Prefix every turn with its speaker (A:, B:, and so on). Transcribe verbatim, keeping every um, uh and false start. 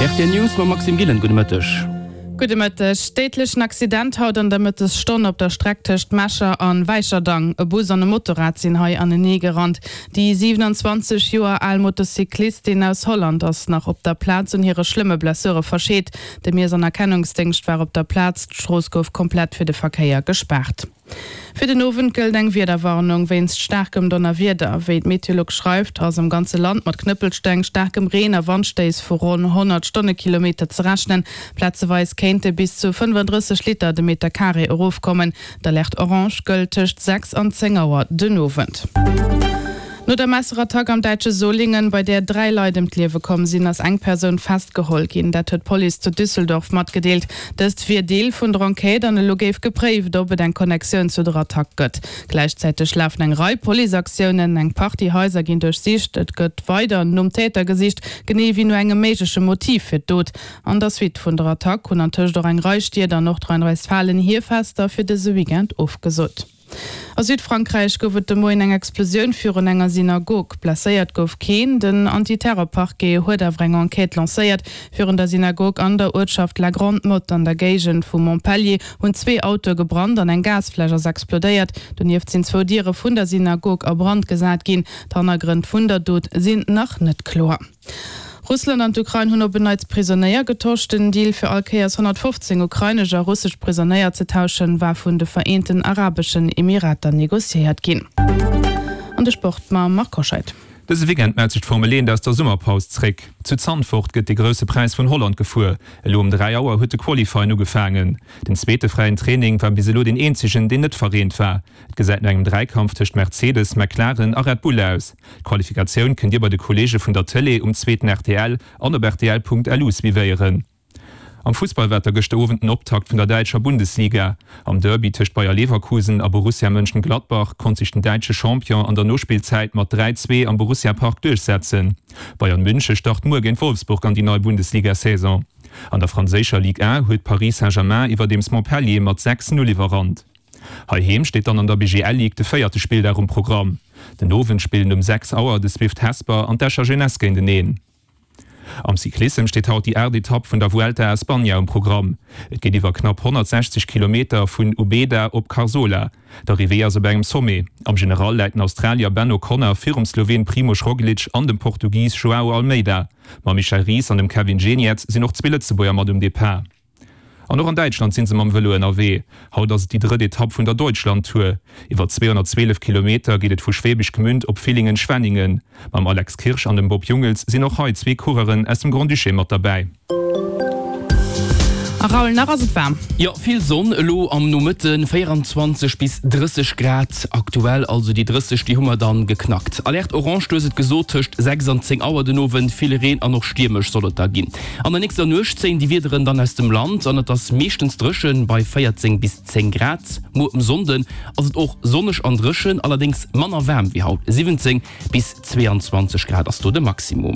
A: Rtl News mam Maxime Gillen, gudde Mëtteg.
B: Gudde Mëtteg. Déidlechen Accident haut an der Mëttesstonn op der Streck tëscht Mecher an Wäicherdang. E Bus an e Motorrad sinn hei anenee gerannt. Déi siwenanzwanzeg Joer al Motocyclistin aus Holland ass nach op der Plaz un hire schlëmme Blessure verscheet. De Miess an Erkennungsdéngscht war op der Plaz, d'Strooss gouf komplett fir de Verkéier gespaart. Fir den Owend gëllt eng Wiederwarnung wéinst staarkem Donnerwieder. Wéi d'Meteolux schreift, ass am ganze Land mat Knëppelsteng, staarkem Reen a Wandstéiss vu ronn honnert Stonnekilometer ze rechnen. Plazeweis kéinte bis zu fënnefandrësseg Liter de Meter Carré erofkommen. D'Alerte orange gëllt tëscht sechs an zéng Auer den Owend. No der Messerattack am däitsche Solingen, bei där dräi Leit ëm d'Liewe komm sinn, ass eng Persoun festgeholl ginn. Dat huet d'Police zu Düsseldorf matgedeelt. Dëst wier Deel vun der Enquête an elo géif gepréift, ob et eng Connectioun zu der Attack gëtt. Gläichzäiteg lafen eng Rei Policeaktiounen, eng Partie Haiser ginn duerchsicht, et gëtt weider nom Täter gesicht, genee wéi no engem méigleche Motiv fir d'Dot. An der Suite vun der Attack hunn antëscht och eng Rei Stied an Nordrhein-Westfalen hir Fester fir dëse Weekend ofgesot. A Südfrankräich gouf et de Moien eng Explosioun virun enger Synagog. Blesséiert gouf keen. Den Antiterror-Parquet huet awer eng Enquête lancéiert. Virun der Synagog an der Uertschaft La Grande-Motte an der Géigend vu Montpellier hunn zwee Autoe gebrannt an eng Gasfläsch ass explodéiert. Donieft sinn zwou Diere vun der Synagog a Brand gesat ginn. D'Hannergrënn vun der Dot sinn nach net kloer. Russland an d'Ukrain hunn op en Neits Prisonéier getosch. Den Deal fir all Kéiers honnertfofzéng ukrainesch a russesch Prisonéier ze tauschen, war vun de Vereenten Arabeschen Emirater negociéiert ginn. An de Sport mam Marc Hoscheid.
C: Dëse Weekend mellt sech d'Formel eent aus der Summerpaus zréck. Zu Zandvoort gëtt de Grousse Präis vun Holland gefuer. Elo um dräi Auer huet de Qualifying ugefaangen. Den zweete fräien Training war bis elo deen eenzegen, deen net verreent war. Et gesäit no engem Dräikampf tëscht Mercedes, McLaren a Red Bull aus. D'Qualifikatioun kënnt Dir bei de Kolleege vun der Tëlee um zweeten rtl an op rtl.lu suivéieren. Am Fussball war et da gëschter Owend den Optakt vun der däitscher Bundesliga. Am Derby tëscht Bayer Leverkusen a Borussia Mönchengladbach konnt sech den däitsche Champion an der Nospillzäit mat dräi, zwee am Borussia Park duerchsetzen. Bayern Münche start muer géint Wolfsburg an déi nei Bundesliga-Saison. An der franséischer Ligue un huet Paris Saint-Germain iwwerdeems Montpellier mat sechs, Null iwwerrannt. Heiheem steet dann an der B G L Ligue de véierte Spilldag um Programm. Den Owend spillen um sechs Auer de Swift Hesper an d'Escher Jeunesse géinteneen. Am Cyclissem steet haut déi aacht Etapp vun der Vuelta a España um Programm. Et geet iwwer knapp honnertsechzeg Kilometer vun Ubeda op Carsola. D'Arrivée ass op engem Sommet. Am General läit den Australier Ben O'Connor virum Sloween Primož Roglič an dem Portugis Joao Almeida. Mam Michel Ries an dem Kevin Geniets sinn och zwee Lëtzebuerger mat um Depart. An och an Däitschland si se mam Vëlo ënnerwee. Haut ass et déi drëtt Etapp vun der Deutschland-Tour. Iwwer zweehonnertzwielef Kilometer geet et vu Schwäbisch Gmünd op Villingen-Schwenningen. Mam Alex Kirsch an dem Bob Jungels sinn och hei zwee Coureuren aus dem Grand-Duché mat derbäi.
B: A Raoul, nach ass et waarm.
A: Jo, vill Sonn elo am Nomëtten, véieranzwanzeg bis drësseg Grad aktuell, also déi drësseg, déi hu mer dann geknackt. Alerte orange, du hues et gesot, tëscht sechs an zéng Auer den Owend. Vill Reen an och stiermesch soll et da ginn. An der nächster Nuecht zéien déi Wiederen dann aus dem Land an et ass meeschtens dréchen bei véierzéng bis zéng Grad. Muer um Sonnden ass et och sonneg an dréchen, allerdéngs manner waarm wéi haut, siwwenzéng bis zweeanzwanzeg Grad ass do de Maximum.